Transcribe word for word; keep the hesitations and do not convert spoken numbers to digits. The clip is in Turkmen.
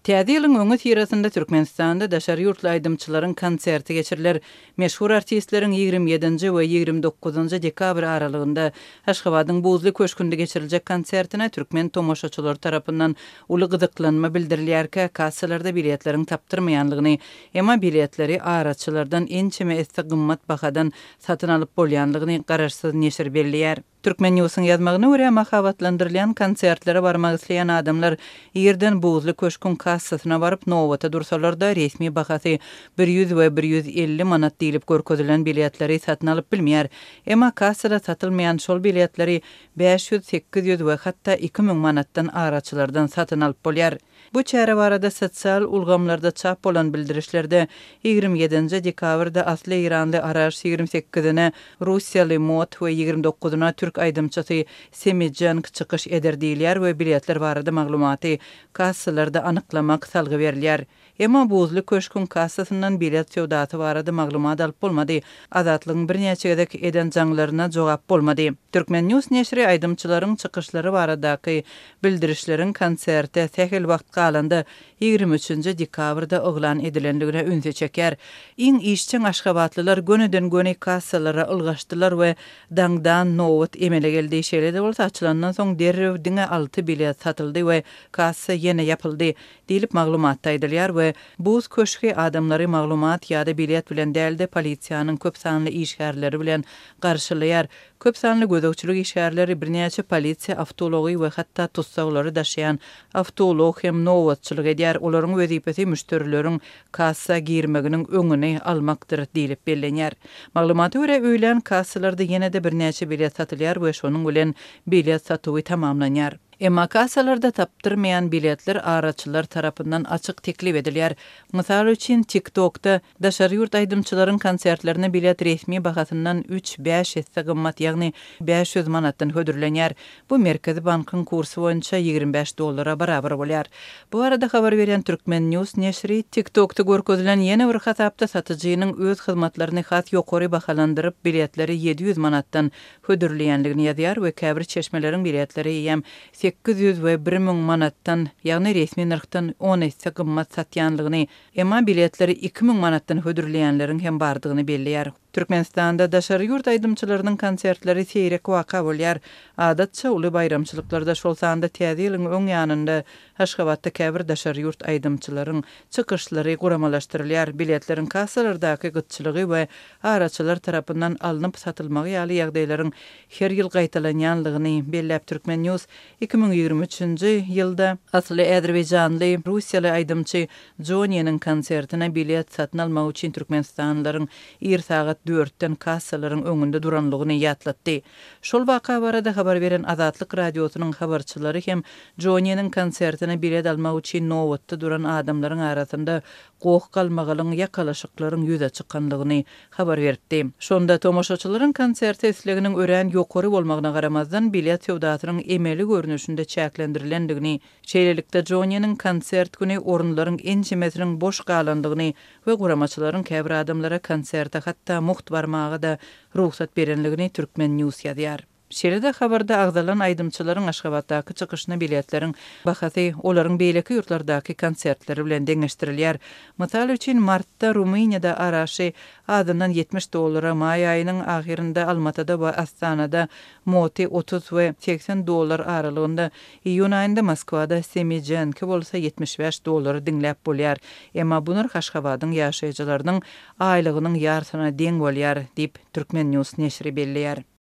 Täze ýylyň öňüsyrasynda Türkmenistanda daşary ýurtly aýdymçylaryň konserti geçiriler. Meşhur artistleriň ýigrimi ýedinji we ýigrimi dokuzynjy dekabr aralygynda Aşgabadyň Buzly köşgünde geçiriljek konsertine türkmen tomaşaçylary tarapyndan uly gyzyklanma bildirilýärkä, kassalarda biletleriň tapdyrmaýanlygyny, emma biletleri araçylardan ençeme esse gymmat bahadan satyn alyp bolýanlygyny garaşsyz neşir belleýär. Türkmen Newsiň ýazmagyna görä, mahabatlandyrylýan konsertlere barmak isleýän adamlar irden Buzly köşküň kassasyna baryp, nobata dursalar-da, resmi bahasy bir ýüz we bir ýüz elli manat diýlip görkezilen biletleri satyn alyp bilmeýär. Emma kassada satylmaýan şol biletleri bäş ýüz, sekiz ýüz we hatda iki müň manatdan araçylardan satyn alyp bolýar. Bu çäre barada sosial ulgamlarda çap bolan bildirişlerde ýigrimi ýedinji dekabrda asly eýranly Araş, ýigrimi sekizine russiýaly Mot we ýigrimi dokuzyna türk aýdymçysy Semijenk çykyş eder diýilýär we biletler barada maglumaty kassalarda anyklamak salgy berilýär. Emma Buzly köşküň kassasyndan bilet söwdasy barada maglumat alyp bolmady. Azatlygyň birnäçe gezek eden jaňlaryna jogap bolmady. Türkmen News neşiri aýdymçylaryň çykyşlary baradaky bildirişleriň konserte sähel wagt galanda ýigrimi üçünji dekabrda yglan edilenligine ünsi çeker. Iň işjeň aşgabatlylar gönüden göni kassalara ylgaşdylar we daňdan nobat emele geldi. Şeýle-de bolsa açylandan soň derrew diňe alty bilet satyldy we kassa ýene ýapyldy diýlip maglumatda aýdylýar we Buz köşgi adamlary maglumat ýa-da bilet bilen dälde polisiýanyň köp sanly işgärleri bilen garşylaýar. Köp sanly gözegçilik işgärleri birnäçe polisiýa awtoulagy we hatda tussaglary daşaýan awtoulag hem nobatçylyk edýär. Olaryň wezipesi müşderileriň kassa girmeginiň öňüni almakdyr diýlip bellenýär. Maglumata görä öýlän kassalarda ýene-de birnäçe bilet satylýar we şonuň bilen bilet satuwy tamamlanýar. Emma kassalarda tapdyrmaýan biletler araçylar tarapyndan açyk teklip edilýär. Mysal üçin TikTokda daşary ýurt aýdymçylaryň konsertlerine bilet resmi bahasyndan üç bäş esse gymmat, ýagny bäş ýüz manatdan hödürlenýär. Bu Merkezi bankyň kursy boýunça ýigrimi bäş dollara barabar bolýar. Bu arada habar berýän Türkmen News neşiri TikTokda görkezilen ýene bir hasapda satyjynyň öz hyzmatlaryny has ýokary bahalandyryp biletleri ýedi ýüz manatdan hödürleýänligini ýazýar we käbir çeşmeleriň biletleri eýýäm sekiz ýüz we bir müň manatdan, ýagny resmi nyrhdan on esse gymmat satýanlygyny, emma biletleri iki müň manatdan hödürleýänleriň hem bardygyny belleýär. Türkmenistanda daşary ýurt aýdymçylarynyň konsertleri seýrek waka bolýar. Adatça uly baýramçylyklarda, şol sanda Täze ýylyň öň ýanynda Aşgabatda käbir daşary ýurt aýdymçylaryň çykyşlary guramalaşdyrylýar. Biletleriň kassalardaky gytçylygy we araçylar tarapyndan alnyp satylmagy ýaly ýagdaýlaryň her ýyl gaýtalanýanlygyny belläp Türkmen News iki müň ýigrimi üçünji ýylda asly Azerbaýjanly russiýaly aýdymçy Joniýanyň konsertine bilet satyn almak üçin Türkmenistanlylaryň ir sagat dörtden kassalaryň öňünde duranlygyny ýatlatdy. Şol waka barada habar beren Azatlyk radiosynyň habarçylary hem Joniýanyň konsertine bilet almak üçin nobatda duran adamlaryň arasynda goh galmagalyň ýakalaşyklaryň ýüze çykanlygyny habar berdi. Şonda tomaşaçylaryň konserte isleginiň örän ýokary bolmagyna garamazdan bilet söwdasynyň emeli görnüşinde çäklendirilendigini, şeýlelikde Joniýanyň konsert güni orunlaryň ençemesiniň boş galandygyny we guramaçylaryň käbir adamlara konserte hatda mugt barmaga da rugsat berenligini Türkmen News ýazýar. Şeýle-de habarda agzalan aýdymçylaryň Aşgabatdaky çykyşyna biletleriň bahasy olaryň beýleki ýurtlardaky konsertleri bilen deňeşdirilýär. Mysal üçin martda Rumyniýada Araşy azyndan ýetmiş dollara, maý aýynyň ahyrynda Almatada we Astanada Moti otuz we seksen dollar aralygynda, iýun aýynda Moskwada Semijenki bolsa ýetmiş bäş dollara diňläp bolýar. Emma bu nyrh Aşgabadyň ýaşaýjylarynyň aýlygynyň ýarsyna deň bolýar diýip Türkmen News neşiri belleýär.